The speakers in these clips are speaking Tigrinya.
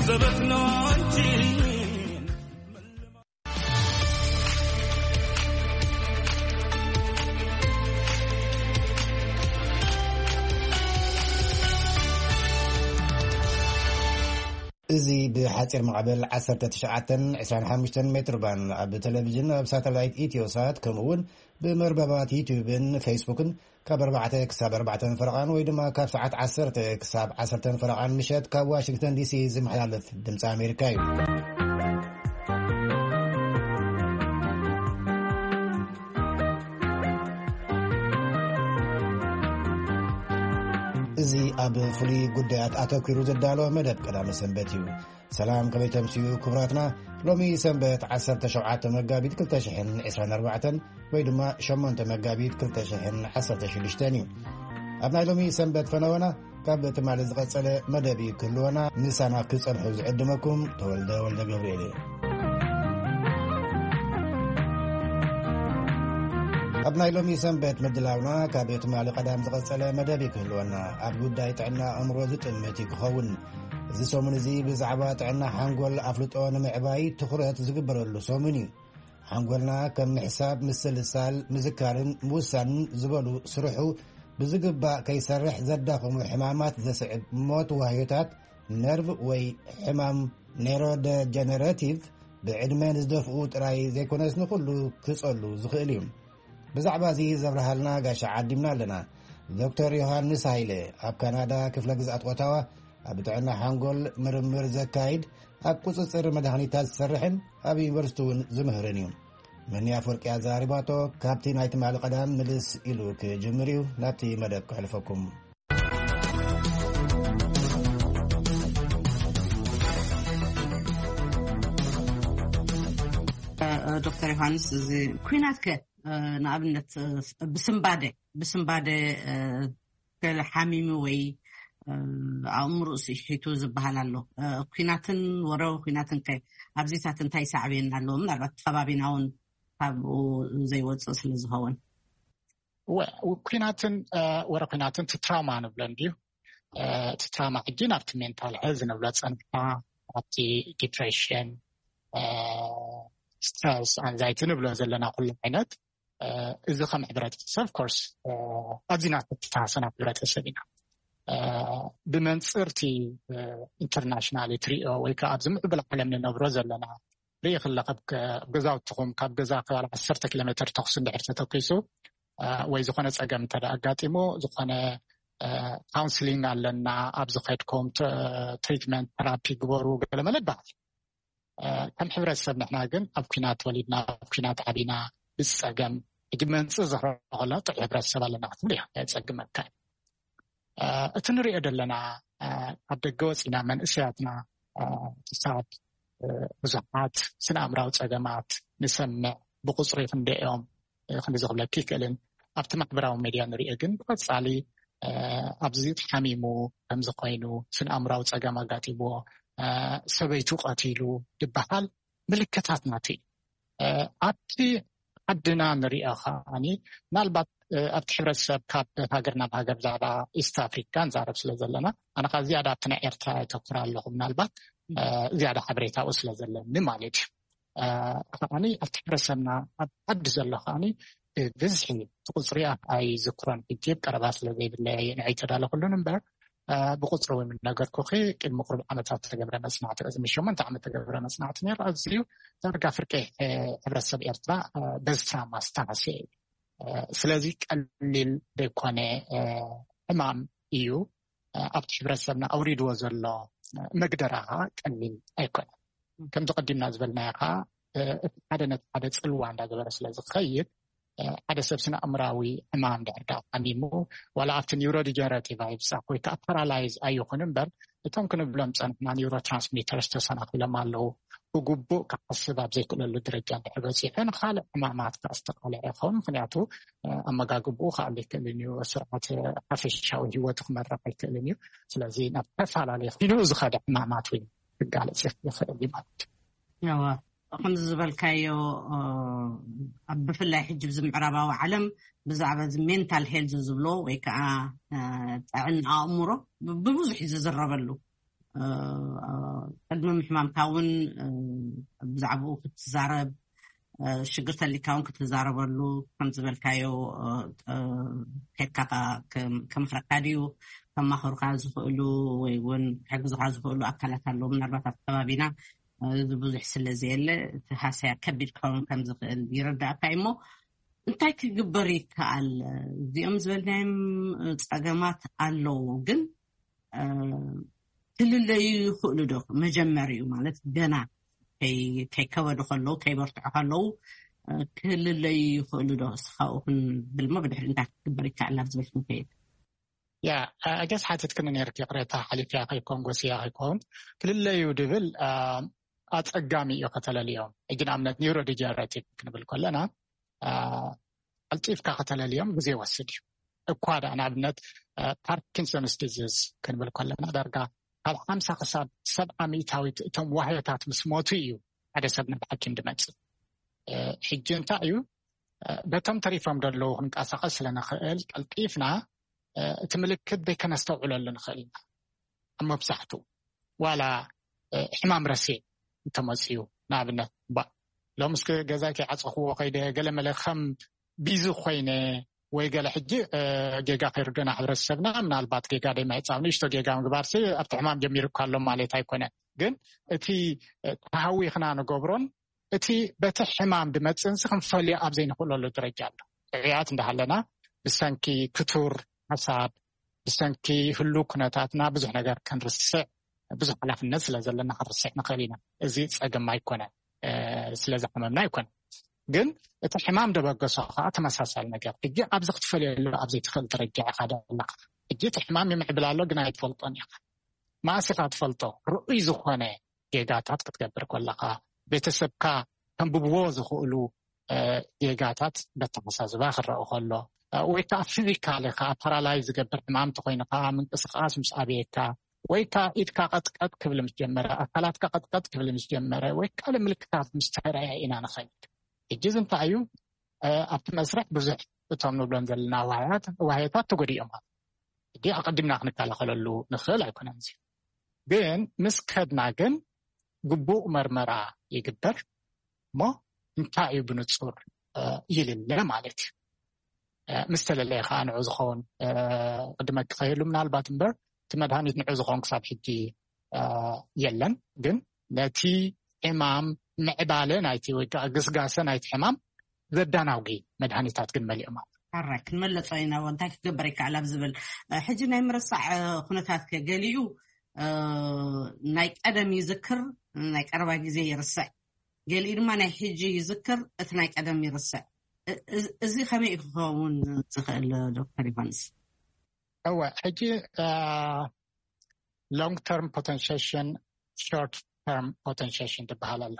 ዘበት ነው እንጂ። እዚ ብሓፂር ማዕበል ዓሰርተ ትሽዓተን ዕስራን ሓሙሽተን ሜትር ባን ኣብ ቴሌቪዥን፣ ኣብ ሳተላይት ኢትዮ ሳት፣ ከምኡ እውን ብመርበባት ዩቲዩብን ፌስቡክን ካብ ኣርባዕተ ክሳብ ኣርባዕተን ፈረቓን ወይ ድማ ካብ ሰዓት ዓሰርተ ክሳብ ዓሰርተን ፈረቓን ምሸት ካብ ዋሽንግተን ዲሲ ዝመሓላለፍ ድምፂ ኣሜሪካ እዩ። እዚ ኣብ ፍሉይ ጉዳያት ኣተኲሩ ዘዳለወ መደብ ቀዳመ ሰንበት እዩ። ሰላም፣ ከመይ ተምስዩ ክቡራትና? ሎሚ ሰንበት ዓሰርተ ሸውዓተ መጋቢት ክልተ ሽሕን ዕስራን ኣርባዕተን ወይ ድማ ሸሞንተ መጋቢት ክልተ ሽሕን ዓሰርተ ሽዱሽተን እዩ። ኣብ ናይ ሎሚ ሰንበት ፈነወና ካብ ትማሊ ዝቐጸለ መደብ እዩ ክህልወና። ምሳና ክጸንሑ ዝዕድመኩም ተወልደ ወልደ ገብርኤል እየ። ኣብ ናይ ሎሚ ሰንበት ምድላውና ካብ ትማሊ ቀዳም ዝቐጸለ መደብ እዩ ክህልወና። ኣብ ጉዳይ ጥዕና ኣእምሮ ዝጥምት እዩ ክኸውን። እዚ ሰሙን እዚ ብዛዕባ ጥዕና ሓንጎል ኣፍልጦ ንምዕባይ ትኹረት ዝግበረሉ ሰሙን እዩ። ሓንጎልና ከም ምሕሳብ፣ ምስልሳል፣ ምዝካርን ምውሳንን ዝበሉ ስርሑ ብዝግባእ ከይሰርሕ ዘዳኽሙ ሕማማት ዘስዕብ ሞት ዋህዮታት ነርቭ ወይ ሕማም ኔሮደጀነረቲቭ ብዕድመ ንዝደፍኡ ጥራይ ዘይኮነስ ንኹሉ ክጸሉ ዝኽእል እዩ። ብዛዕባ እዚ ዘብርሃልና ጋሻ ዓዲምና ኣለና። ዶክተር ዮሃንስ ሃይለ ኣብ ካናዳ ክፍለ ግዝኣት ኦታዋ ኣብ ጥዕና ሓንጎል ምርምር ዘካይድ፣ ኣብ ቁጽጽር መድሃኒታት ዝሰርሕን ኣብ ዩኒቨርሲቲ እውን ዝምህርን እዩ። መኒ ኣፍወርቂ ኣዘራሪባቶ። ካብቲ ናይ ትማሊ ቀዳም ምልስ ኢሉ ክጅምር እዩ። ናብቲ መደብ ክሕልፈኩም። ዶክተር ዮሃንስ፣ እዚ ኩናት ከ ንኣብነት ብስምባደ ብስምባደ ገለ ሓሚሙ ወይ ኣእምሮኡ ስሒቱ ዝበሃል ኣሎ። ኩናትን ወረ ኩናትን ከ ኣብዚታት እንታይ ሳዕቤን ኣለዎ? ምናልባት ከባቢና እውን ካብኡ ዘይወፅእ ስለ ዝኸውን። ኩናትን ወረ ኩናትን ትራውማ ንብሎ እንድዩ። እቲ ትራውማ ሕጂ ናብቲ ሜንታል ሄልዝ ንብሎ ፀንሕና፣ ኣብቲ ዲፕሬሽን፣ ስትረስ፣ ኣንዛይቲ ንብሎ ዘለና ኩሉ ዓይነት። እዚ ከም ሕብረተሰብ ኮርስ ኣዚና ተተሃሰና ሕብረተሰብ ኢና። ብመንፅርቲ ኢንተርናሽናል ትሪኦ ወይ ከዓ ኣብዚ ምዕብል ዓለም ንነብሮ ዘለና ርኢ ክለ ኣብ ገዛውትኹም ካብ ገዛ ክባል ዓሰርተ ኪሎ ሜትር ተኩሲ እንድሕር ተተኪሱ ወይ ዝኾነ ፀገም እንተ ኣጋጢሙ ዝኾነ ካውንስሊንግ ኣለና፣ ኣብዚ ከድኩም ትሪትመንት ተራፒ ግበሩ ገለመለ ይበሃል። ከም ሕብረተሰብ ንሕና ግን ኣብ ኩናት ተወሊድና ኣብ ኩናት ዓቢና ብፀገም ሕጂ መንፅር ዝረኸልና ጥዑይ ሕብረተሰብ ኣለና ክትብል እያ። የፀግመካ። እቲ ንሪኦ ዘለና ኣብ ደገ ወፂና መንእሰያትና ክሳብ ብዙሓት ስነ ኣእምራዊ ፀገማት ንሰምዕ፣ ብቁፅሪ ክንደኦም ክንዲ ዝኽብለኪ ይክእልን። ኣብቲ ማሕበራዊ ሜድያ ንሪኦ ግን ብቐፃሊ ኣብዚ ተሓሚሙ ከምዚ ኮይኑ ስነ ኣእምራዊ ፀገም ኣጋጢምዎ ሰበይቱ ቀቲሉ ዝበሃል ምልክታት ናቱ እዩ። ኣብቲ ዓድና ንሪኦ ከዓኒ ምናልባት ኣብቲ ሕብረተሰብ ካብ ሃገር ናብ ሃገር ብዛዕባ ኢስት ኣፍሪካ ንዛረብ ስለ ዘለና ኣነ ከዓ ዝያዳ ኣብቲ ናይ ኤርትራ የተኩር ኣለኹ ምናልባት ዝያዳ ሓበሬታኡ ስለ ዘለኒ ማለት እዩ። ከዓኒ ኣብቲ ሕብረተሰብና ኣብ ዓዲ ዘሎ ከዓኒ ብብዝሒ እቲ ቁፅሪ ኣይዝክሮን ሕጂ ቀረባ ስለ ዘይብለይ ንዓይ ተዳለኩሉን እምበር ብቁፅሪ እውን ነገርኩኺ ቅድሚ ቁሩብ ዓመታት ተገብረ መፅናዕቲ ቅድሚ ሸሞንተ ዓመት ተገብረ መፅናዕቲ ነይሩ ኣዝዩ ዳርጋ ፍርቂ ሕብረተሰብ ኤርትራ በዚ ትራማ ዝተሃስየ እዩ። ስለዚ ቀሊል ዘይኮነ ሕማም እዩ። ኣብቲ ሕብረተሰብና ኣውሪድዎ ዘሎ መግደራ ከዓ ቀሊል ኣይኮነን። ከምዚ ቀዲምና ዝበልናዮ ከዓ እቲ ሓደ ነቲ ሓደ ፅልዋ እንዳገበረ ስለ ዝኸይድ ሓደ ሰብ ስነ ኣእምራዊ ሕማም ድሕር ዳ ሓሚሙ ዋላ ኣብቲ ኒውሮ ዲጀነሬቲቭ ኣይብፃሕ ወይ ከዓ ፓራላይዝ ኣይኹን እምበር እቶም ክንብሎም ፀንሕና ኒውሮ ትራንስሚተርስ ተሰናኺሎም ኣለዉ። ብግቡእ ክሓስብ ኣብ ዘይክእለሉ ደረጃ እንድሕር በፂሑ ንካልእ ሕማማት ከዓ ዝተቃልዐ ይኸውን። ምክንያቱ ኣመጋግብኡ ክኣሉ ይክእልን እዩ። ስርዓት ሓፈሻዊ ህይወቱ ክመርሕ ኣይክእልን እዩ። ስለዚ ናብ ተፈላለየ ኢሉ ዝኸደ ሕማማት እውን ክጋለፅ ይኽእል እዩ ማለት እዩ። ከምዚ ዝበልካዮ ኣብ ብፍላይ ሕጂ ብዚ ምዕራባዊ ዓለም ብዛዕባ እዚ ሜንታል ሄልዝ ዝብሎ ወይ ከዓ ጥዕና ኣእምሮ ብብዙሕ እዩ ዝዝረበሉ። ቅድሚ ምሕማምካ እውን ብዛዕባኡ ክትዛረብ፣ ሽግር ተሊካ እውን ክትዛረበሉ፣ ከም ዝበልካዮ ከድካ ከመኽረካ ድዩ፣ ከማኸሩካ ዝኽእሉ ወይ እውን ክሕግዙካ ዝኽእሉ ኣካላት ኣለዉ። ምናልባት ኣብ ከባቢና እዚ ብዙሕ ስለ ዘየለ እቲ ሃሰያ ከቢድ ክኸውን ከም ዝኽእል ይረዳእካ እዩ። እሞ እንታይ ክግበር ይከኣል? እዚኦም ዝበልናዮም ጸገማት ኣለዉ፣ ግን ክልለዩ ይኽእሉ ዶ? መጀመሪኡ ማለት ገና ከይከበዱ ከለዉ፣ ከይበርትዑ ከለዉ ክልለዩ ይኽእሉ ዶ? እስኻኡ ክንብል ሞ ብድሕሪ እንታይ ክግበር ይከኣል ናብ ዝብል ክንከይድ። ያ ኣገስ ሓትት ክን ነርክ ይቕሬታ ሓሊፍያ ከይኮን ጎስያ ከይኮን ክልለዩ ድብል ኣጸጋሚ እዩ ከተለልዮም። ሕጂ ንኣብነት ኒውሮ ዲጀነሬቲቭ ክንብል ከለና ቀልጢፍካ ከተለልዮም ግዜ ይወስድ እዩ። እኳ ደኣ ንኣብነት ፓርኪንሶንስ ዲዚዝ ክንብል ከለና ዳርጋ ካብ ሓምሳ ክሳብ ሰብዓ ሚእታዊት እቶም ዋህዮታት ምስ ሞቱ እዩ ሓደ ሰብ ናብ ሓኪም ድመጽእ። ሕጂ እንታይ እዩ በቶም ተሪፎም ዘለዉ ክንቀሳቐስ ስለንኽእል ቀልጢፍና እቲ ምልክት ዘይከነስተውዕለሉ ንኽእል ኢና። ኣብ መብዛሕትኡ ዋላ ሕማም ረሴ እንተመፅዩ ንኣብነት ባ ሎም እስኪ ገዛይ ከይዓፀኽዎ ከይደ ገለ መለ ከም ቢዚ ኮይነ ወይ ገለ ሕጂ ጌጋ ከይርደና ሕብረተሰብና ምናልባት ጌጋ ደይምዕፃው ንእሽቶ ጌጋ ምግባር ኣብቲ ሕማም ጀሚሩ እኳ ኣሎ ማለት ኣይኮነን። ግን እቲ ተሃዊኽና ንገብሮን እቲ በቲ ሕማም ድመፅእንሲ ክንፈልዮ ኣብ ዘይንኽእለሉ ደረጃ ኣሎ። ጥዑያት እንዳሃለና ብሰንኪ ክቱር ሓሳብ ብሰንኪ ህሉ ኩነታትና ብዙሕ ነገር ክንርስዕ ብዙሕ ሓላፍነት ስለ ዘለና ክንርስዕ ንኽእል ኢና። እዚ ፀገም ኣይኮነን፣ ስለዝሓመምና ኣይኮነን። ግን እቲ ሕማም ደበገሶ ከዓ ተመሳሳሊ ነገር ሕጂ ኣብዚ ክትፈልየሉ ኣብ ዘይትኽእል ደረጃ ኢኻ ደለኻ። ሕጂ እቲ ሕማም ይምዕብል ኣሎ ግን ኣይትፈልጦን ኢኻ። ማእስኻ ትፈልጦ ርኡይ ዝኾነ ጌጋታት ክትገብር ከለኻ ቤተሰብካ ከንብብዎ ዝኽእሉ ጌጋታት በተመሳዝባ ክረአ ከሎ ወይ ከዓ ፊዚካሊ ከዓ ፓራላይዝ ዝገብር ሕማም ተኮይኑ ከዓ ምንቅስቃስ ምስ ኣብየካ ወይ ከዓ ኢድካ ቀጥቀጥ ክብል ምስ ጀመረ ኣካላትካ ቀጥቀጥ ክብል ምስ ጀመረ ወይ ካልእ ምልክታት ምስ ተረኣየ ኢና ንኸይድ። ሕጂ እዚ እንታይ እዩ ኣብቲ መስርሕ ብዙሕ እቶም ንብሎም ዘለና ዋህያታት ተጎዲኦም ሕጂ ኣቐዲምና ክንከላኸለሉ ንኽእል ኣይኮነን። እዚ ግን ምስ ከድና ግን ግቡእ መርመራ ይግበር እሞ እንታይ እዩ ብንጹር ይልለ ማለት እዩ። ምስ ተለለየ ከዓ ንዑ ዝኸውን ቅድመ ክኸይሉ ምናልባት እምበር እቲ መድሃኒት ንዑ ዝኸውን ክሳብ ሕጂ የለን። ግን ነቲ ሕማም ምዕባለ ናይቲ ወይ ከዓ ግስጋሰ ናይቲ ሕማም ዘዳናጉ መድሃኒታት ግን መሊኦም ኣለዉ። ሕራይ ክንመለሶ ኢና እንታይ ክግበር ይከኣል ኣብ ዝብል ሕጂ ናይ ምርሳዕ ኩነታት ከ ገሊኡ ናይ ቀደም ይዝክር፣ ናይ ቀረባ ግዜ ይርስዕ፣ ገሊኡ ድማ ናይ ሕጂ ይዝክር፣ እቲ ናይ ቀደም ይርስዕ። እዚ ከመይ ክኸውን ዝኽእል ዶክተር ዮሃንስ? እወ ሕጂ long term potentiation short term potentiation ትበሃል ኣላ።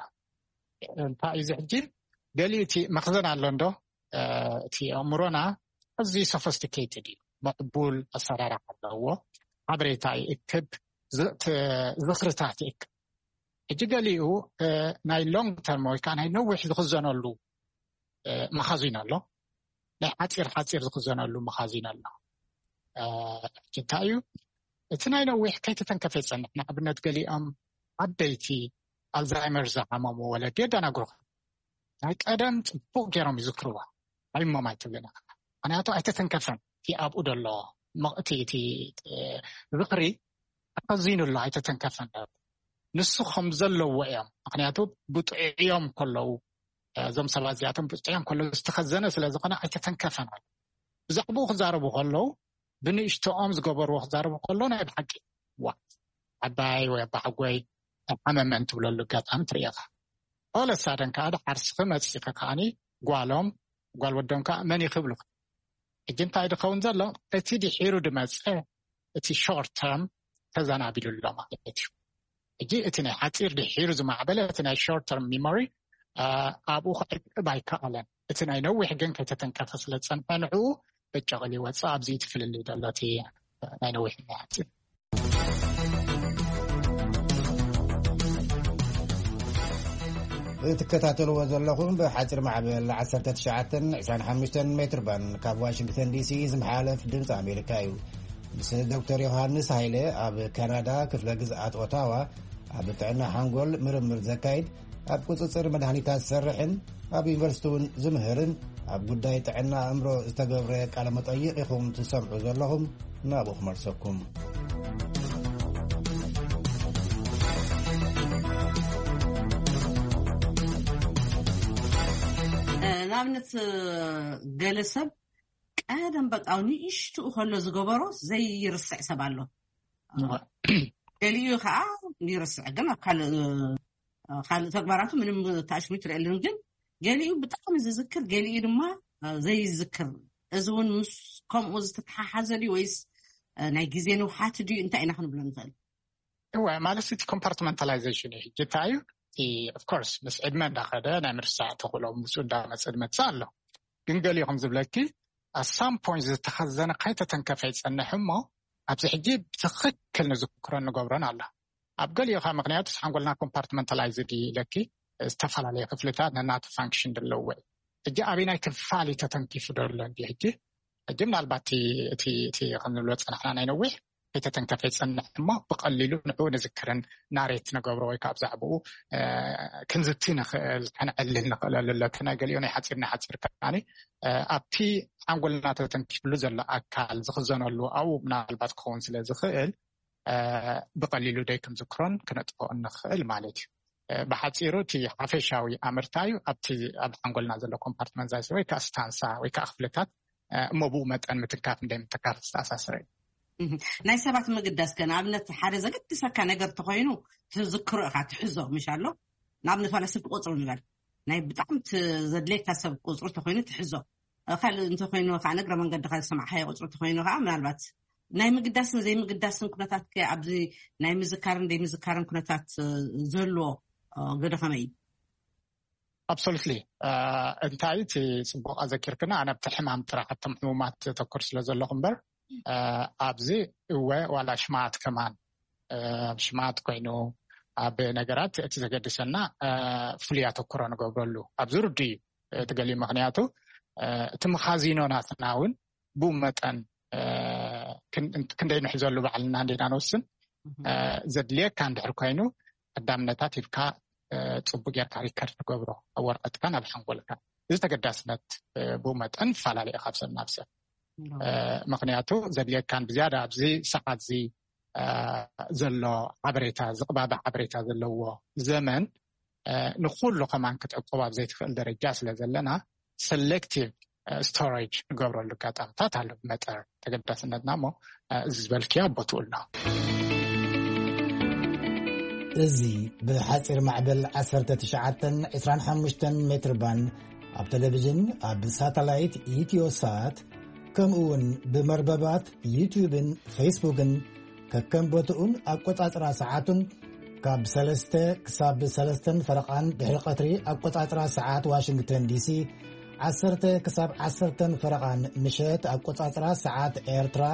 እንታይ እዩ እዚ ሕጂ ገሊኡ እቲ መኽዘን ኣሎ እንዶ እቲ ኣእምሮና ኣዝዩ sophisticated እዩ። ምዕቡል ኣሰራርሓ ኣለዎ። ሓበሬታ ይእክብ፣ ዝኽርታት ይእክብ። ሕጂ ገሊኡ ናይ long term ወይ ከዓ ናይ ነዊሕ ዝኽዘነሉ መኻዚን ኣሎ፣ ናይ ሓፂር ሓፂር ዝኽዘነሉ መኻዚን ኣሎ። ሕጂ እንታይ እዩ እቲ ናይ ነዊሕ ከይተተንከፈ ይፀንሕ። ንኣብነት ገሊኦም ዓበይቲ ኣልዛይመር ዝሓመሙ ወለዲ የደናግሩኻ። ናይ ቀደም ፅቡቅ ገይሮም ይዝክርዋ ኣይሞም ኣይትብልን ኢኻ። ምክንያቱ ኣይተተንከፈን እቲ ኣብኡ ዘሎ እቲ ዝኽሪ ተኸዚኑ ኣሎ ኣይተተንከፈን። ንሱ ከም ዘለዎ እዮም ምክንያቱ ብጥዑዮም ከለዉ እዞም ሰባት እዚኣቶም ብጥዑዮም ከለዉ ዝተኸዘነ ስለ ዝኾነ ኣይተተንከፈን ኣሎ። ብዛዕባኡ ክዛረቡ ከለዉ ብንእሽቶኦም ዝገበርዎ ክዛረቡ ከሎ ናይ ብሓቂ ዋ ዓባይ ወይ ኣባሓጎይ ሓመመን ትብለሉ ኣጋጣሚ ትርኢ ኢኻ። ኦለሳደን ከዓ ዓርስኺ መፂኺ ከዓኒ ጓሎም ጓል ወዶም ከዓ መን ይኽብሉ። ሕጂ እንታይ ድኸውን ዘሎ እቲ ድሒሩ ድመፀ እቲ short term ተዘናቢሉ ኣሎ ማለት እዩ። ሕጂ እቲ ናይ ሓፂር ድሒሩ ዝማዕበለ እቲ ናይ short term memory ኣብኡ ክዕቅብ ኣይከኣለን። እቲ ናይ ነዊሕ ግን ከይተተንከፈ ስለ ዝፀንሐ ንዕኡ በጨቕል ይወፅእ። ኣብዚ እቲ ፍልልይ ዘሎ እቲ ናይ ነዊሕ ናይ ሓፂር እትከታተልዎ ዘለኹም ብሓፂር ማዕበል ዓሰርተ ትሽዓተ ዕስራን ሓሙሽተን ሜትር ባንድ ካብ ዋሽንግተን ዲሲ ዝመሓለፍ ድምፂ ኣሜሪካ እዩ። ምስ ዶክተር ዮሃንስ ሃይለ ኣብ ካናዳ ክፍለ ግዝኣት ኦታዋ ኣብ ጥዕና ሓንጎል ምርምር ዘካይድ፣ ኣብ ቁጽጽር መድሃኒታት ዝሰርሕን ኣብ ዩኒቨርሲቲ እውን ዝምህርን ኣብ ጉዳይ ጥዕና ኣእምሮ ዝተገብረ ቃለ መጠይቕ ኢኹም ትሰምዑ ዘለኹም። ናብኡ ክመልሰኩም። ንኣብነት፣ ገለ ሰብ ቀደም በቃ ንእሽትኡ ከሎ ዝገበሮ ዘይርስዕ ሰብ ኣሎ። ገሊኡ ከዓ ይርስዕ፣ ግን ኣብ ካልእ ካልእ ተግባራቱ ምንም ታሽሚት ትርእየሉን። ግን ገሊኡ ብጣዕሚ ዝዝክር፣ ገሊኡ ድማ ዘይዝክር። እዚ እውን ምስ ከምኡ ዝተተሓሓዘ ድዩ ወይስ ናይ ግዜ ንውሓት ድዩ? እንታይ ኢና ክንብሎ ንኽእል? እወ፣ ማለት እቲ ኮምፓርትመንታላይዜሽን እዩ። ሕጂ እንታይ እዩ እቲ? ኦፍኮርስ ምስ ዕድመ እንዳኸደ ናይ ምርሳዕ ተኽእሎ ምስኡ እንዳመፀ ዝመፅእ ኣሎ። ግን ገሊኡ ከም ዝብለኪ ኣሳም ፖይንት ዝተኸዘነ ከይተተንከፈ ይፀንሕ እሞ ኣብዚ ሕጂ ብትኽክል ንዝክሮን ንገብሮን ኣሎ። ኣብ ገሊኡ ከዓ ምክንያቱ ሓንጎልና ኮምፓርትመንታላይዝድ ኢለኪ፣ ዝተፈላለየ ክፍልታት ነናቱ ፋንክሽን ዘለዎ እዩ። ሕጂ ኣበይ ናይ ክፋል ተተንኪፉ ዶ ኣሎ እንዲ? ሕጂ ሕጂ ምናልባት እቲ እቲ እቲ ከም ንብሎ ፀናሕና ናይ ነዊሕ ከይተተንከፈ ይፀንሕ እሞ ብቐሊሉ ንዕኡ ንዝክርን ናሬት ንገብሮ ወይ ካብ ዛዕባኡ ክንዝቲ ንኽእል፣ ከነዕልል ንኽእለሉ። ለቲ ናይ ገሊኡ ናይ ሓፂር ናይ ሓፂር ከዓኒ ኣብቲ ሓንጎልና ተተንኪፍሉ ዘሎ ኣካል ዝኽዘነሉ ኣብኡ ምናልባት ክኸውን ስለ ዝኽእል ብቐሊሉ ደይ ክንዝክሮን ክነጥፍኦ እንኽእል ማለት እዩ። ብሓፂሩ እቲ ሓፈሻዊ ኣምርታ እዩ ኣብቲ ኣብ ሓንጎልና ዘሎ ኮምፓርትመንታይዝ ወይ ከዓ ስታንሳ ወይ ከዓ ክፍልታት እሞ ብኡ መጠን ምትንካፍ እንደይ ምትካፍ ዝተኣሳሰረ እዩ። ናይ ሰባት ምግዳስ ከ ንኣብነት ሓደ ዘገድሰካ ነገር ተኮይኑ ትዝክሮ ኢኻ ትሕዞ ምሽ ኣሎ። ንኣብነት ዋላ ስልኪ ቁፅሪ ንበል ናይ ብጣዕሚ ዘድልየካ ሰብ ቁፅሪ ተኮይኑ ትሕዞ። ካልእ እንተኮይኑ ከዓ እግረ መንገድካ ዝሰማዕካዮ ቁፅሪ ተኮይኑ ከዓ ምናልባት ናይ ምግዳስን ዘይምግዳስን ኩነታት ከ ኣብዚ ናይ ምዝካርን ዘይምዝካርን ኩነታት ዘሎ ገዶ ከመይ እዩ? ኣብሶሉትሊ። እንታይ እቲ ፅቡቅ ኣዘኪርክና፣ ኣነ ኣብቲ ሕማም ጥራሕ ኣብቶም ሕሙማት ተኩር ስለ ዘለኹ እምበር ኣብዚ እወ ዋላ ሽማት ከማን ኣብ ሽማት ኮይኑ ኣብ ነገራት እቲ ዘገድሰና ፍሉይ ኣተኩሮ ንገብረሉ ኣብዚ ርዱ እዩ። እቲ ገሊኡ ምክንያቱ እቲ መኻዚኖ ናትና እውን ብኡ መጠን ክንደይ ንሕዘሉ ባዕልና እንዴና ንወስን። ዘድልየካ እንድሕር ኮይኑ ቀዳምነታት ሂብካ ፅቡቅ ጌርካ ሪከርድ ትገብሮ ኣብ ወረቀትካ ናብ ሓንጎልካ። እዚ ተገዳስነት ብኡ መጠንፈላለየ ካብ ሰብ ናብ ሰብ። ምክንያቱ ዘድልየካን ብዝያዳ ኣብዚ ሰዓት እዚ ዘሎ ሓበሬታ ዝቅባበ ሓበሬታ ዘለዎ ዘመን ንኩሉ ከማን ክትዕቆብ ኣብ ዘይትኽእል ደረጃ ስለ ዘለና ሰሌክቲቭ ስቶሬጅ ንገብረሉ ኣጋጣምታት ኣሎ። ብመጠር ተገዳስነትና እሞ እዚ ዝበልክያ ቦትኡ ኣሎ። እዚ ብሓፂር ማዕበል ዓሰርተ ትሽዓተ ዕስራን ሓሙሽተን ሜትር ባንድ ኣብ ቴሌቪዥን ኣብ ሳተላይት ኢትዮሳት ከምኡ እውን ብመርበባት ዩትዩብን ፌስቡክን ከከም ቦትኡን ኣቆጻጽራ ሰዓቱን ካብ ሰለስተ ክሳብ ሰለስተን ፈረቓን ድሕሪ ቀትሪ ኣቆጻጽራ ሰዓት ዋሽንግተን ዲሲ፣ ዓሰርተ ክሳብ ዓሰርተን ፈረቓን ምሸት ኣቆጻጽራ ሰዓት ኤርትራ፣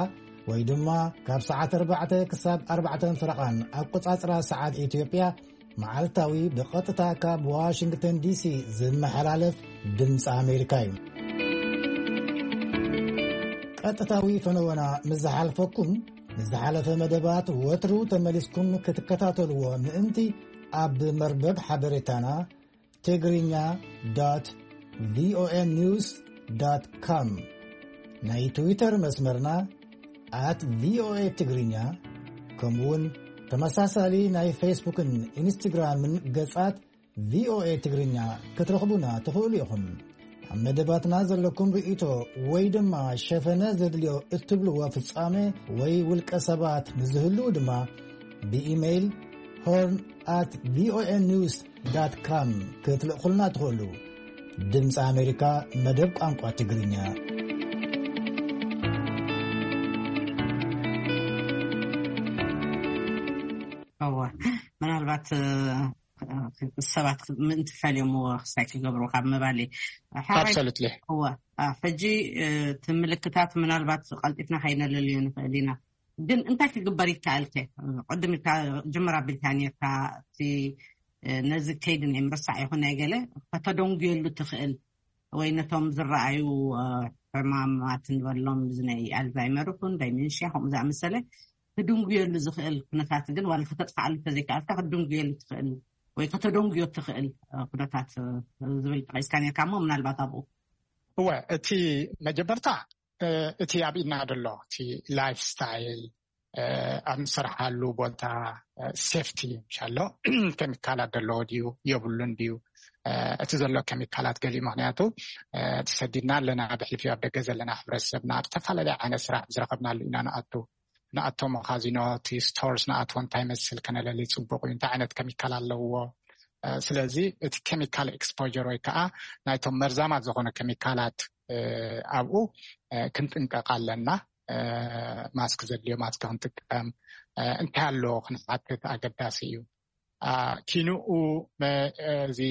ወይ ድማ ካብ ሰዓት ኣርባዕተ ክሳብ ኣርባዕተን ፈረቓን ኣቆጻጽራ ሰዓት ኢትዮጵያ፣ መዓልታዊ ብቐጥታ ካብ ዋሽንግተን ዲሲ ዝመሓላለፍ ድምፂ ኣሜሪካ እዩ። ቀጥታዊ ፈነወና ምስ ዝሓልፈኩም፣ ንዝሓለፈ መደባት ወትሩ ተመሊስኩም ክትከታተልዎ ምእንቲ ኣብ መርበብ ሓበሬታና ትግርኛ ዶት ቪኦኤ ኒውስ ዶት ኮም፣ ናይ ትዊተር መስመርና ኣት ቪኦኤ ትግርኛ፣ ከምኡውን ተመሳሳሊ ናይ ፌስቡክን ኢንስትግራምን ገጻት ቪኦኤ ትግርኛ ክትረኽቡና ትኽእሉ ኢኹም። ኣብ መደባትና ዘለኩም ርእይቶ ወይ ድማ ሸፈነ ዘድልዮ እትብልዎ ፍጻሜ ወይ ውልቀ ሰባት ንዝህልው ድማ ብኢሜይል ሆርን ኣት ቪኦኤ ኒውስ ዳት ካም ክትልእኹልና ትኽእሉ። ድምፂ ኣሜሪካ መደብ ቋንቋ ትግርኛ። እወ፣ ምናልባት ሰባት ምእንቲ ፈልዮምዎ ክሳይ ክገብሩ ካብ ምባል እዩ። ሓራይ- Absolutely። እወ፣ አ፣ ሕጂ እቲ ምልክታት ምናልባት ቀልጢፍና ከይነለልዮ ንኽእል ኢና። ግን እንታይ ክግበር ይከኣል ከ? ቅድም ኢልካ ጅምር ኣቢልካ ነርካ፣ እቲ ነዚ ከይዲ ናይ ምርሳዕ ይኹን ናይ ገለ ከተደንጉየሉ ትኽእል ወይ ነቶም ዝረኣዩ ሕማማት ንበሎም፣ እዚ ናይ ኣልዛይመር ይኹን ዳይሜንሽያ ከምኡ ዝኣመሰለ ክድንጉየሉ ዝኽእል ኩነታት ግን ዋላ ከተጥፍኣሉ ተዘይከኣልካ ክትድንጉየሉ ትኽእል ወይ ከተደንጉዮ ትኽእል ኩነታት ዝብል ጠቂስካ ነርካ እሞ ምናልባት ኣብኡ እወ እቲ መጀመርታ እቲ ኣብ ኢድና ደሎ እቲ ላይፍ ስታይል ኣብ ንሰርሓሉ ቦታ ሴፍቲ ሻሎ ከሚካላት ደለዎ ድዩ የብሉን ድዩ እቲ ዘሎ ከሚካላት ገሊኡ ምክንያቱ ተሰዲድና ኣለና ብሕልፊ ኣብ ደገ ዘለና ሕብረተሰብና ኣብ ዝተፈላለየ ዓይነት ስራሕ ዝረኸብናሉ ኢና ንኣቱ ንኣቶ መኻዚኖ እቲ ስቶርስ ንኣቶ እንታይ መስል ከነለሊ ፅቡቅ እዩ እንታይ ዓይነት ከሚካል ኣለዎ ስለዚ እቲ ኬሚካል ኤክስፖጀር ወይ ከዓ ናይቶም መርዛማት ዝኾነ ከሚካላት ኣብኡ ክንጥንቀቕ ኣለና ማስክ ዘድልዮ ማስክ ክንጥቀም እንታይ ኣሎ ክንሓትት ኣገዳሲ እዩ ኪንኡ እዚ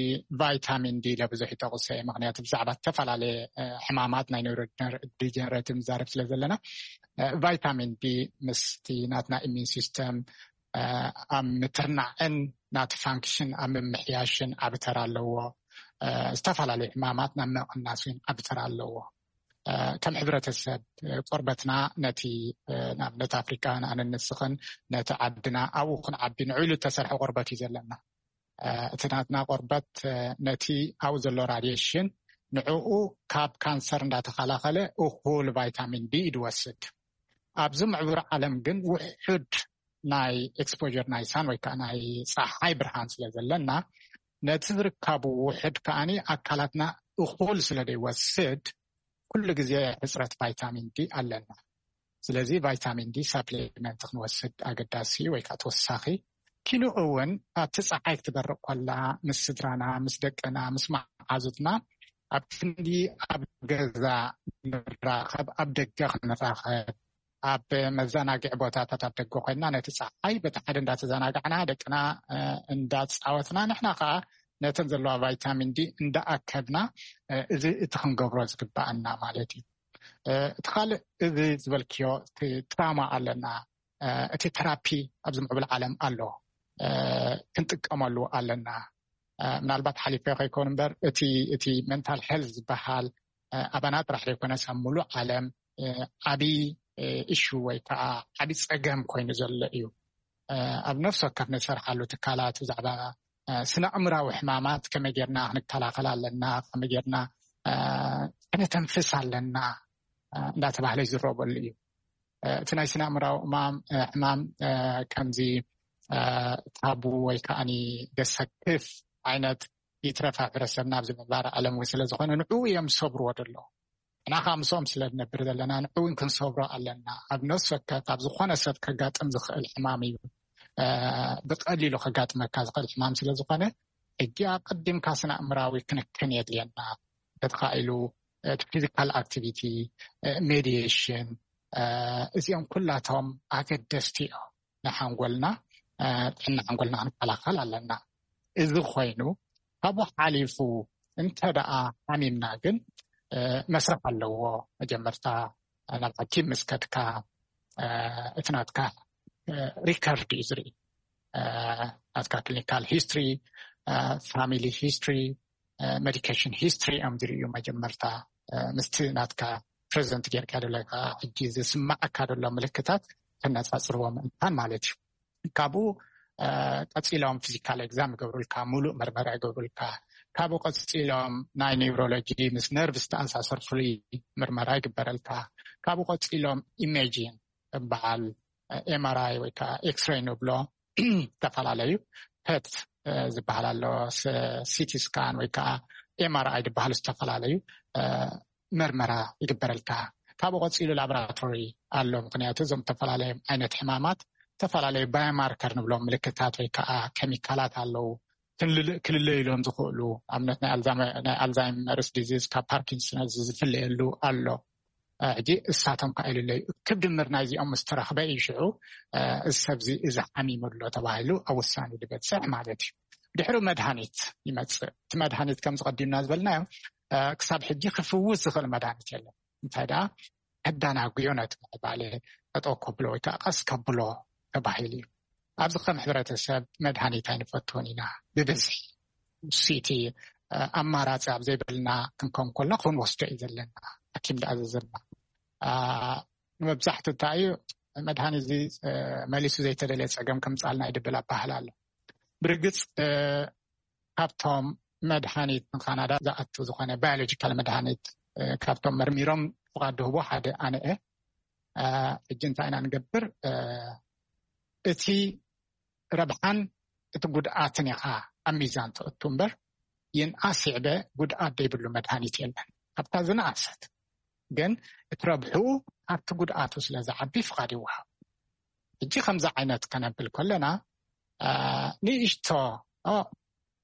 ቫይታሚን ዲ ለብዙሕ ይጠቕሶ ምክንያቱ ብዛዕባ ዝተፈላለየ ሕማማት ናይ ኒውሮዲጀነሬቲቭ ንዛረብ ስለ ዘለና ቫይታሚን ዲ ምስቲ ናትና ኢሚን ሲስተም ኣብ ምትርናዕን ናቲ ፋንክሽን ኣብ ምምሕያሽን ዓቢ ተራ ኣለዎ ዝተፈላለዩ ሕማማት ናብ ምቕናስ እውን ዓቢ ተራ ኣለዎ ከም ሕብረተሰብ ቆርበትና ነቲ ንኣብነት ኣፍሪካ ንኣነን ንስኽን ነቲ ዓድና ኣብኡ ክንዓቢ ንዕሉ እተሰርሐ ቆርበት እዩ ዘለና እቲ ናትና ቆርበት ነቲ ኣብኡ ዘሎ ራድሽን ንዕኡ ካብ ካንሰር እንዳተኸላኸለ እኩል ቫይታሚን ዲ እዩ ዝወስድ ኣብዚ ምዕቡር ዓለም ግን ውሑድ ናይ ኤክስፖር ናይ ሳን ወይ ከዓ ናይ ፀሓይ ብርሃን ስለ ዘለና ነቲ ዝርካቡ ውሕድ ከዓኒ ኣካላትና እኩል ስለ ዘይወስድ ኩሉ ግዜ ሕፅረት ቫይታሚን ዲ ኣለና ስለዚ ቫይታሚን ዲ ሳፕሊመንት ክንወስድ ኣገዳሲ ወይ ከዓ ተወሳኺ ኪንኡ እውን ኣብቲ ፀሓይ ክትበርቕ ኮላ ምስ ስድራና ምስ ደቅና ምስ መዓዙትና ኣብ ክንዲ ኣብ ገዛ ንራኸብ ኣብ ደገ ክንራኸብ ኣብ መዘናግዒ ቦታታት ኣብ ደገ ኮይንና ነቲ ፀሓይ በቲ ሓደ እንዳተዘናጋዕና ደቅና እንዳፃወትና ንሕና ከዓ ነተን ዘለዋ ቫይታሚን ዲ እንዳኣከብና እዚ እቲ ክንገብሮ ዝግባኣና ማለት እዩ እቲ ካልእ እዚ ዝበልክዮ ትራማ ኣለና እቲ ተራፒ ኣብዚ ምዕብል ዓለም ኣሎ ክንጥቀመሉ ኣለና ምናልባት ሓሊፈ ከይኮኑ እምበር እቲ እቲ ሜንታል ሄልት ዝበሃል ኣባና ጥራሕ ዘይኮነስ ኣብ ሙሉእ ዓለም ዓብዪ እሹ ወይ ከዓ ዓብዪ ፀገም ኮይኑ ዘሎ እዩ ኣብ ነፍሲ ወከፍ ንሰርሓሉ ትካላት ብዛዕባ ስነ ኣእምራዊ ሕማማት ከመይ ጌርና ክንከላኸል ኣለና ከመይ ጌርና ከነተንፍስ ኣለና እንዳተባህለ ይዝረበሉ እዩ እቲ ናይ ስነ ኣእምራዊ ሕማም ከምዚ ታቡ ወይ ከዓ ዘሰክፍ ዓይነት ይትረፍ ሕብረተሰብና ኣብዚ ምንባር ዓለም እውን ስለዝኾነ ንዕኡ እዮም ዝሰብርዎ ደለዉ ንሕና ከዓ ምስኦም ስለ ንነብር ዘለና ንዕኡ እውን ክንሰብሮ ኣለና ኣብ ነፍሲ ወከፍ ኣብ ዝኾነ ሰብ ከጋጥም ዝኽእል ሕማም እዩ ብቀሊሉ ከጋጥመካ ዝኽእል ሕማም ስለዝኾነ ሕጂ ኣቀዲምካ ስነ ኣእምራዊ ክንክን የድልየና ተተኻኢሉ ፊዚካል ኣክቲቪቲ ሜዲሽን እዚኦም ኩላቶም ኣገደስቲ እዮም ንሓንጎልና ጥዕና ሓንጎልና ክንከላኸል ኣለና እዚ ኮይኑ ካብኡ ሓሊፉ እንተ ደኣ ሓሚምና ግን መስርሕ ኣለዎ መጀመርታ ናብ ሓኪም ምስ ከድካ እቲ ናትካ ሪከርድ እዩ ዝርኢ ናትካ ክሊኒካል ሂስትሪ ፋሚሊ ሂስትሪ ሜዲኬሽን ሂስትሪ እዮም ዝርእዩ መጀመርታ ምስቲ ናትካ ፕሬዘንት ጌርካ ደለካ ሕጂ ዝስማዓካ ደሎ ምልክታት ተነፃፅርዎ ምእንታን ማለት እዩ ካብኡ ቀፂሎም ፊዚካል ኤግዛም ይገብሩልካ ሙሉእ መርመራ ይገብሩልካ ካብኡ ቀፂሎም ናይ ኒውሮሎጂ ምስ ነርቭ ዝተኣሳሰር ፍሉይ ምርመራ ይግበረልካ ካብኡ ቀፂሎም ኢሜጂን በዓል ኤምኣርኣይ ወይ ከዓ ኤክስሬይ ንብሎ ዝተፈላለዩ ፐት ዝበሃል ኣሎ ሲቲ ስካን ወይ ከዓ ኤምኣርኣይ ዝበሃሉ ዝተፈላለዩ መርመራ ይግበረልካ ካብኡ ቀፂሉ ላቦራቶሪ ኣሎ ምክንያቱ እዞም ዝተፈላለዩ ዓይነት ሕማማት ዝተፈላለዩ ባዮማርከር ንብሎም ምልክታት ወይ ከዓ ኬሚካላት ኣለዉ ክልለዩሎም ዝኽእሉ ኣብነት ናይ ኣልዛይመርስ ዲዚዝ ካብ ፓርኪንሰንስ ዝፍለየሉ ኣሎ ሕጂ እሳቶም ከዓ ይልለዩ ክብ ድምር ናይዚኦም ምስ ተረኽበ እዩ ሽዑ እዚ ሰብዚ እዚ ሓሚሙ ኣሎ ተባሂሉ ኣብ ውሳኔ ዝበፅሕ ማለት እዩ ድሕሪ መድሃኒት ይመፅእ እቲ መድሃኒት ከም ዝቀዲምና ዝበልናዮ ክሳብ ሕጂ ክፍውስ ዝኽእል መድሃኒት የለን እንታይ ደኣ ከዳናጉዮ ነቲ ምዕባለ ጠጠው ከብሎ ወይ ከዓ ቀስ ከብሎ ተባሂሉ እዩ ኣብዚ ከም ሕብረተሰብ መድሃኒት ኣይንፈትዎን ኢና ብብዝሒ ሲቲ ኣማራፂ ኣብ ዘይብልና ክንከውን ከሎ ክንወስዶ እዩ ዘለና ሓኪም ዝኣዘዘና መብዛሕቱ እንታይ እዩ መድሃኒት እዚ መሊሱ ዘይተደለየ ፀገም ከምፃልና ይድብል ኣባህል ኣሎ። ብርግፅ ካብቶም መድሃኒት ንካናዳ ዝኣቱ ዝኾነ ባዮሎጂካል መድሃኒት ካብቶም መርሚሮም ፍቓድ ድህቦ ሓደ ኣነ እየ። ሕጂ እንታይ ኢና ንገብር? እቲ ረብሓን እቲ ጉድኣትን ኢኻ ኣብ ሚዛን ተእቱ እምበር፣ ይንኣስ ይዕበ ጉድኣት ዘይብሉ መድሃኒት የለን። ካብታ ዝነኣሰት ግን እቲ ረብሑ ካብቲ ጉድኣቱ ስለ ዝዓቢ ፍቓድ ይወሃብ። ሕጂ ከምዚ ዓይነት ከነብል ከለና ንእሽቶ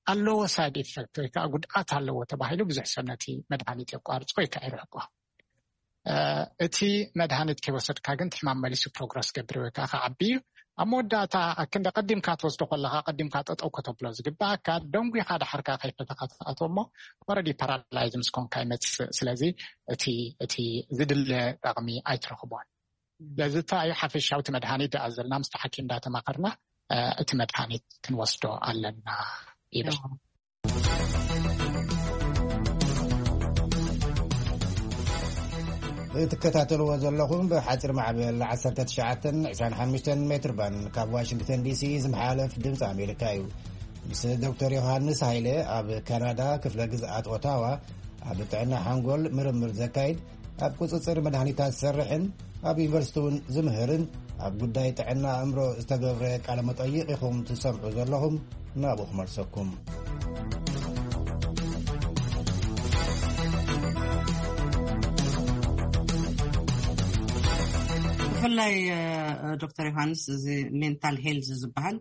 ኣለዎ ሳይድ ኢፌክት ወይ ከዓ ጉድኣት ኣለዎ ተባሂሉ ብዙሕ ሰብ ነቲ መድሃኒት የቋርጾ ወይ ከዓ ይርሕቆ። እቲ መድሃኒት ከይወሰድካ ግን ትሕማም መሊሱ ፕሮግረስ ገብር ወይ ከዓ ከዓቢ እዩ። ኣብ መወዳእታ ኣክንደ ቀዲምካ ትወስዶ ከለካ ቀዲምካ ጠጠው ከተብሎ ዝግባኣካ ደንጉኻ ዳሕርካ ከይፈተካ ትኣትዎ እሞ ወረዲ ፓራላይዝ ምስ ኮንካ ይመፅእ። ስለዚ እቲ እቲ ዝድለ ጠቕሚ ኣይትረኽቦን። ስለዚ እንታይ እዩ ሓፈሻዊ እቲ መድሃኒት ደኣ ዘለና ምስቲ ሓኪም እንዳተማኸርና እቲ መድሃኒት ክንወስዶ ኣለና ይብል። እትከታተልዎ ዘለኹም ብሓፂር ማዕበል ዓሰርተ ትሽዓተ ዕስራን ሓሙሽተን ሜትር ባን ካብ ዋሽንግተን ዲሲ ዝመሓለፍ ድምፂ ኣሜሪካ እዩ። ምስ ዶክተር ዮሃንስ ሃይለ ኣብ ካናዳ ክፍለ ግዝኣት ኦታዋ ኣብ ጥዕና ሓንጎል ምርምር ዘካይድ፣ ኣብ ቁፅፅር መድሃኒታት ዝሰርሕን ኣብ ዩኒቨርሲቲ እውን ዝምህርን ኣብ ጉዳይ ጥዕና ኣእምሮ ዝተገብረ ቃለ መጠይቕ ኢኹም ትሰምዑ ዘለኹም። ናብኡ ክመልሰኩም። ብፍላይ ዶክተር ዮሃንስ፣ እዚ ሜንታል ሄልዝ ዝበሃል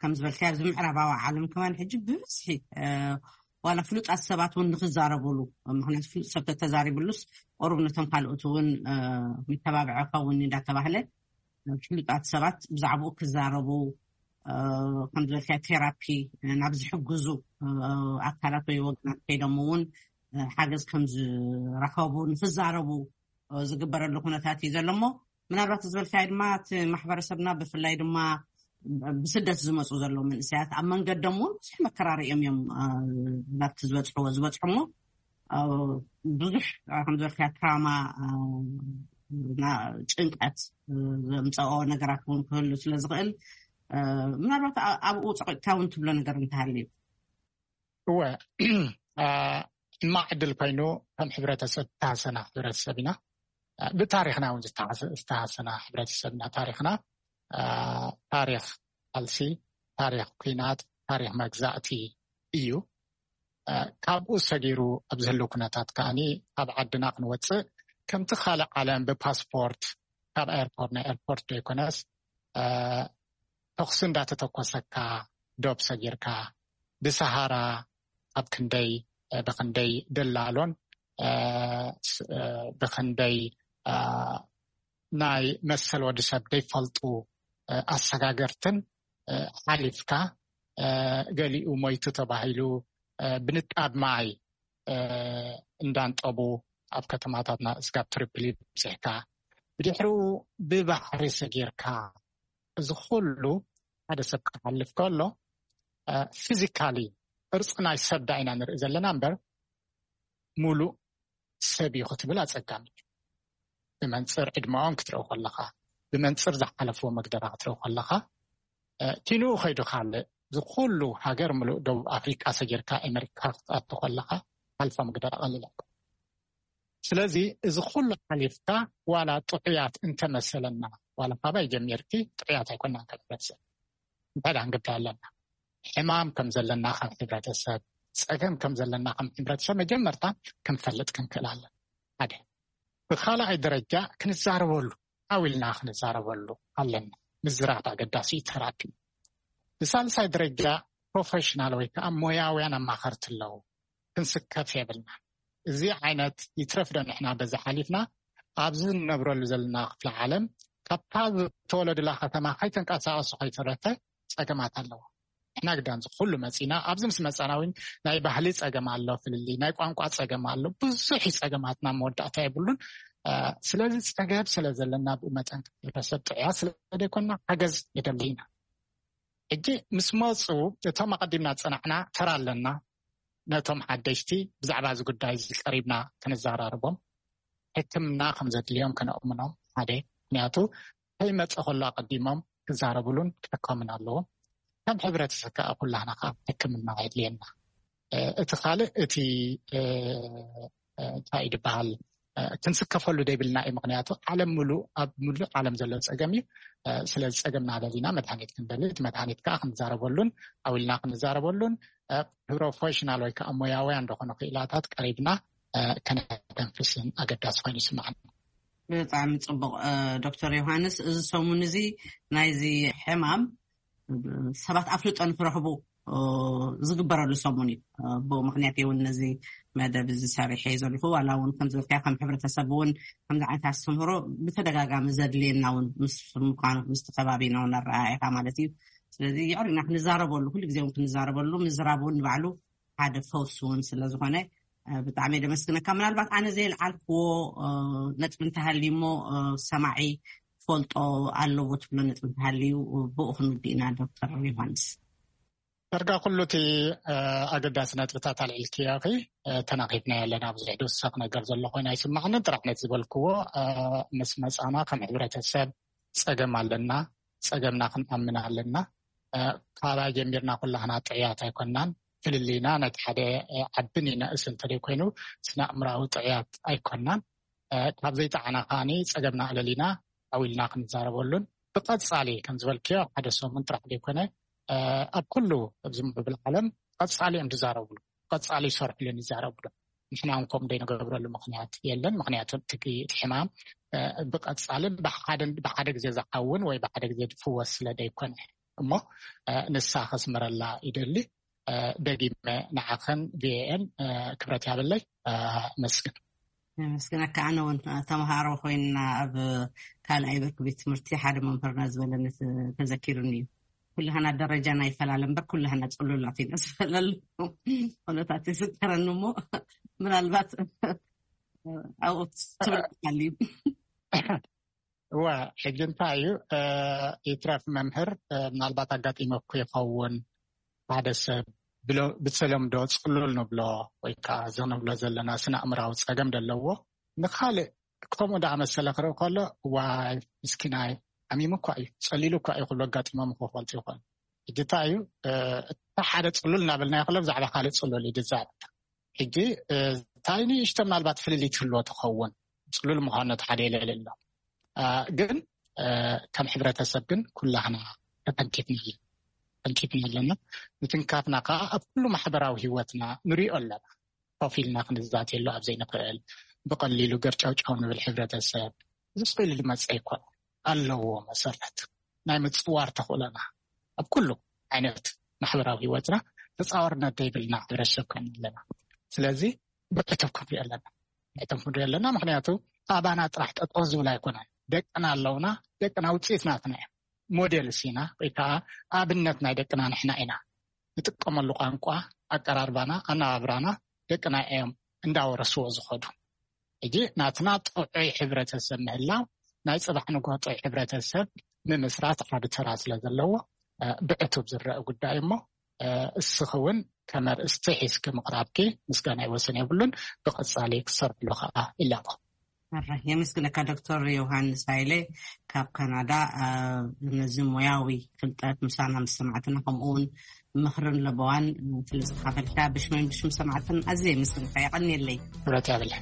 ከም ዝበልካዮ ኣብዚ ምዕራባዊ ዓለም ከማን ሕጂ ብብዝሒ ዋላ ፍሉጣት ሰባት እውን ንክዛረቡሉ፣ ምክንያቱ ፍሉጥ ሰብ ተተዛሪብሉስ ቆሩብ ነቶም ካልኦት እውን መተባብዒ ከውን እንዳተባህለ ፍሉጣት ሰባት ብዛዕባኡ ክዛረቡ፣ ከም ዝበልካዮ ቴራፒ ናብ ዝሕግዙ ኣካላት ወይ ወገናት ከይዶም እውን ሓገዝ ከም ዝረኸቡ ንክዛረቡ ዝግበረሉ ኩነታት እዩ ዘሎ። እሞ ምናልባት ዝበልካዮ ድማ እቲ ማሕበረሰብና ብፍላይ ድማ ብስደት ዝመፁ ዘለዉ መንእሰያት ኣብ መንገዶም እውን ብዙሕ መከራ ሪኦም እዮም ናብቲ ዝበፅሕዎ ዝበፅሑ። እሞ ብዙሕ ከም ዝበልካዮ ትራማ፣ ጭንቀት ዘምፀኦ ነገራት እውን ክህሉ ስለ ዝኽእል፣ ምናልባት ኣብኡ ፀቂጥካ እውን ትብሎ ነገር እንተሃልዩ። እወ፣ ሕማቕ ዕድል ኮይኑ ከም ሕብረተሰብ ዝተሃሰና ሕብረተሰብ ኢና። ብታሪኽና እውን ዝተሃሰና ሕብረተሰብ ኢና። ታሪኽና ታሪኽ ቃልሲ፣ ታሪኽ ኩናት፣ ታሪኽ መግዛእቲ እዩ። ካብኡ ሰጊሩ ኣብ ዝህሉ ኩነታት ከዓኒ ካብ ዓድና ክንወፅእ ከምቲ ካልእ ዓለም ብፓስፖርት ካብ ኤርፖርት ናብ ኤርፖርት ዘይኮነስ ተኹሲ እንዳተተኮሰካ ዶብ ሰጊርካ ብሰሃራ ኣብ ክንደይ ብክንደይ ደላሎን ብክንደይ ናይ መሰል ወዲ ሰብ ዘይፈልጡ ኣሰጋገርትን ሓሊፍካ ገሊኡ ሞይቱ ተባሂሉ ብንጣብ ማይ እንዳንጠቡ ኣብ ከተማታትና እስጋብ ትሪፕሊ ብፅሕካ ብድሕሪኡ ብባሕሪ ሰጊርካ እዚ ኩሉ ሓደ ሰብ ክሓልፍ ከሎ ፊዚካሊ ቅርፂ ናይ ሰብ ዳ ኢና ንርኢ ዘለና እምበር ሙሉእ ሰብ እዩ ክትብል ኣፀጋሚ እዩ። ብመንፅር ዕድመኦም ክትረው ከለካ፣ ብመንፅር ዝሓለፍዎ መግደራ ክትረው ከለካ ኪንኡ ከይዱ ካልእ ዝኩሉ ሃገር ምሉእ ደቡብ ኣፍሪቃ ሰጊርካ ኣሜሪካ ክትኣቱ ከለካ ሓልፋ መግደራ ቀሊል ኣይኮን። ስለዚ እዚ ኩሉ ሓሊፍካ ዋላ ጥዑያት እንተመሰለና ዋላ ካባይ ጀሚርኪ ጥዑያት ኣይኮናን ከም ሕብረተሰብ። እንታይ ዳ ክንገብር ኣለና? ሕማም ከም ዘለና ከም ሕብረተሰብ፣ ፀገም ከም ዘለና ከም ሕብረተሰብ መጀመርታ ክንፈልጥ ክንክእል ኣለና። ሓደ። ብካልኣይ ደረጃ ክንዛረበሉ ዓው ኢልና ክንዛረበሉ ኣለና። ምዝራብ ኣገዳሲ እዩ። ተራፒ። ብሳልሳይ ደረጃ ፕሮፌሽናል ወይ ከዓ ሞያውያን ኣማኸርቲ ኣለዉ። ክንስከፍ የብልና። እዚ ዓይነት ይትረፍ ዶ ንሕና በዚ ሓሊፍና ኣብዚ ንነብረሉ ዘለና ክፍለ ዓለም ካብታ ዝተወለዱላ ከተማ ከይተንቀሳቀሱ ከይተረፈ ፀገማት ኣለዎ። ንሕና ግዳን እዚ ኩሉ መፂና ኣብዚ ምስ መፃና እውን ናይ ባህሊ ፀገም ኣሎ፣ ፍልልይ ናይ ቋንቋ ፀገም ኣሎ፣ ብዙሕ እዩ ፀገማትና መወዳእታ የብሉን። ስለዚ ፀገብ ስለ ዘለና ብኡ መጠን ሕብረተሰብ ጥዕያ ስለ ዘይኮና ሓገዝ የደሊ ኢና። ሕጂ ምስ መፁ እቶም ኣቐዲምና ዝፀናዕና ተራ ኣለና። ነቶም ሓደሽቲ ብዛዕባ እዚ ጉዳይ እዚ ቀሪብና ክንዘራርቦም ሕክምና ከም ዘድልዮም ከነእምኖም ሓደ። ምክንያቱ ከይመፀ ከሎ ኣቐዲሞም ክዛረብሉን ክሕከሙን ኣለዎም። ከም ሕብረተሰብ ከዓ ኩላህና ከዓ ሕክምና የድልየና። እቲ ካልእ እቲ እንታይ ድበሃል፣ ክንስከፈሉ ደይብልና እዩ። ምክንያቱ ዓለም ሙሉእ፣ ኣብ ሙሉእ ዓለም ዘሎ ፀገም እዩ። ስለዚ ፀገምና ለሊና መድሃኒት ክንደሊ፣ እቲ መድሃኒት ከዓ ክንዛረበሉን ኣዊልና ክንዛረበሉን ፕሮፌሽናል ወይ ከዓ ሞያውያን ዝኾኑ ክኢላታት ቀሪብና ከነተንፍስን ኣገዳሲ ኮይኑ ይስማዓኒ። ብጣዕሚ ፅቡቕ። ዶክተር ዮሃንስ፣ እዚ ሰሙን እዚ ናይዚ ሕማም ሰባት ኣፍልጦ ንክረኽቡ ዝግበረሉ ሰሙን እዩ። ብኡ ምክንያት እውን ነዚ መደብ እዚ ሰሪሐ ዘለኹ። ዋላ እውን ከምዝበልካዮ ከም ሕብረተሰብ እውን ከምዚ ዓይነት ኣስተምህሮ ብተደጋጋሚ ዘድልየና እውን ምስ ምኳኑ ምስቲ ከባቢና እውን ኣረኣኢኻ ማለት እዩ። ስለዚ የዕሪና ክንዛረበሉ፣ ኩሉ ግዜ እውን ክንዛረበሉ፣ ምዝራብ እውን ንባዕሉ ሓደ ፈውሲ እውን ስለዝኾነ ብጣዕሚ ደመስግነካ። ምናልባት ኣነ ዘይልዓልክዎ ነጥቢ እንተሃልዩ እሞ ሰማዒ ፈልጦ ኣለዎ ትብሎ ነጥቢ እንተሃልዩ ብኡ ክንውድእ ኢና። ዶክተር ዮሃንስ። ዳርጋ ኩሉ እቲ ኣገዳሲ ነጥብታት ኣልዒልክዮ። ተናኺፍና ኣለና። ብዙሕ ድውሰኽ ነገር ዘሎ ኮይኑ ኣይስማዕንን። ጥራሕ ነቲ ዝበልክዎ፣ ምስ መፃና ከም ሕብረተሰብ ፀገም ኣለና። ፀገምና ክንኣምን ኣለና። ካባይ ጀሚርና ኩላህና ጥዕያት ኣይኮናን። ፍልልይና ነቲ ሓደ ዓብን ይነእስ እንተደይ ኮይኑ ስነ ኣእምራዊ ጥዕያት ኣይኮናን። ካብ ዘይጠዓና ከዓኒ ፀገምና ኣለሊና ኣዊልና ክንዛረበሉን ብቐፃሊ ከም ዝበልክዮ ሓደ ሰሙን ጥራሕ ዘይኮነ ኣብ ኩሉ ኣብዚ ምዕብል ዓለም ቀፃሊ እዮም ዝዛረብሉ፣ ቀፃሊ ይሰርሕሉን ይዛረብሉ። ንሕና እውን ከምኡ ዘይንገብረሉ ምክንያት የለን። ምክንያቱ እቲ እቲ ሕማም ብቐፃልን ብሓደ ብሓደ ግዜ ዝሓውን ወይ ብሓደ ግዜ ዝፍወስ ስለ ዘይኮነ እሞ ንሳ ከስምረላ ይደሊ። ደጊመ ንዓኸን ቪኦኤን ክብረት ያብለይ። መስግን። መስግነካ። ኣነ እውን ተምሃሮ ኮይና ኣብ ካልኣይ ብርኪ ቤት ትምህርቲ ሓደ መምህርና ዝበለኒ ተዘኪሩኒ እዩ። ኩልህና ደረጃና ይፈላለ እምበር ኩልህና ፅሉላት ኢና ዝፈላለ ኩነታት ይፍጠረኒ እሞ ምናልባት ኣብኡ ትብል እዩ። እወ፣ ሕጂ እንታይ እዩ ይትረፍ መምህር፣ ምናልባት ኣጋጢመኩ ይኸውን፣ ሓደ ሰብ ብተለምዶ ፅሉል ንብሎ ወይ ከዓ እዚ ንብሎ ዘለና ስነ ኣእምራዊ ፀገም ዘለዎ ንካልእ ከምኡ ደኣ መሰለ ክርኢ ከሎ ዋይ ምስኪናይ፣ ሓሚሙ እኳ እዩ፣ ፀሊሉ እኳ እዩ ክብሎ ኣጋጢሞም ክፈልጡ ይኾኑ። ሕጂ እንታይ እዩ እቲ ሓደ ፅሉል እናበልና ይክሎ ብዛዕባ ካልእ ፅሉል እዩ ዝዛረብ። ሕጂ እንታይ ንእሽቶ ምናልባት ፍልልይ ትህልዎ ትኸውን፣ ፅሉል ምዃኑ እቲ ሓደ የለለ ኣሎ። ግን ከም ሕብረተሰብ ግን ኩላህና ተተንኪፍና ተንኪፍና ኣለና። ምትንካፍና ከዓ ኣብ ኩሉ ማሕበራዊ ህይወትና ንሪኦ ኣለና። ኮፍ ኢልና ክንዛተየሉ ኣብ ዘይንኽእል፣ ብቐሊሉ ገርጫውጫው ንብል ሕብረተሰብ፣ እዚ ስቕ ኢሉ ዝመፅእ ኣይኮነን። ኣለዎ መሰረት ናይ ምፅዋር ተኽእሎና ኣብ ኩሉ ዓይነት ማሕበራዊ ህይወትና ተፃዋርነት ዘይብልና ሕብረተሰብ ኮይና ኣለና። ስለዚ ብዕቱብ ክንሪኦ ኣለና። ብዕቱብ ክንሪኦ ኣለና። ምክንያቱ ኣባና ጥራሕ ጠጠው ዝብል ኣይኮነን። ደቅና ኣለውና። ደቅና ውፅኢት ናትና እዮም። ሞዴል ሲና ወይ ከዓ ኣብነት ናይ ደቅና ንሕና ኢና። ንጥቀመሉ ቋንቋ፣ ኣቀራርባና፣ ኣነባብራና ደቅና እዮም እንዳወረስዎ ዝኸዱ። ሕጂ ናትና ጥዑይ ሕብረተሰብ ምህላው ናይ ፅባሕ ንግሆ ጥዑይ ሕብረተሰብ ምምስራት ዓቢ ተራ ስለ ዘለዎ ብዕቱብ ዝረአ ጉዳይ እሞ እስኺ እውን ከም ኣርእስቲ ሒዝኪ ምቕራብኪ ምስጋና ይወሰን የብሉን። ብቐፃሊ ክሰርሕሉ ከዓ ይላቦ። ኣረ የመስግነካ ዶክተር ዮሃንስ ሃይለ ካብ ካናዳ። ነዚ ሞያዊ ፍልጠት ምሳና ምስ ሰማዕትና ከምኡ እውን ምኽርን ለበዋን ስለ ዝካፈልካ ብሽመን ብሽም ሰማዕትን ኣዝየ የመስግነካ። የቐንየለይ። ክብረት ያብለ።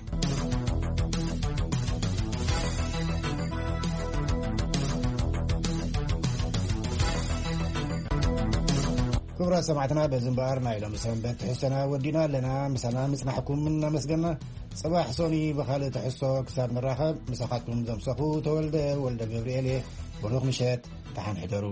ክቡራት ሰማዕትና በዚ እምበኣር ናይ ሎሚ ሰንበት ትሕዝቶና ወዲና ኣለና። ምሳና ምጽናሕኩም እናመስገና ጽባሕ ሶኒ ብኻልእ ትሕዝቶ ክሳብ ንራኸብ ምሳኻትኩም ዘምሰኹ ተወልደ ወልደ ገብርኤል እየ። ብሩኽ ምሸት፣ ደሓን ሕደሩ።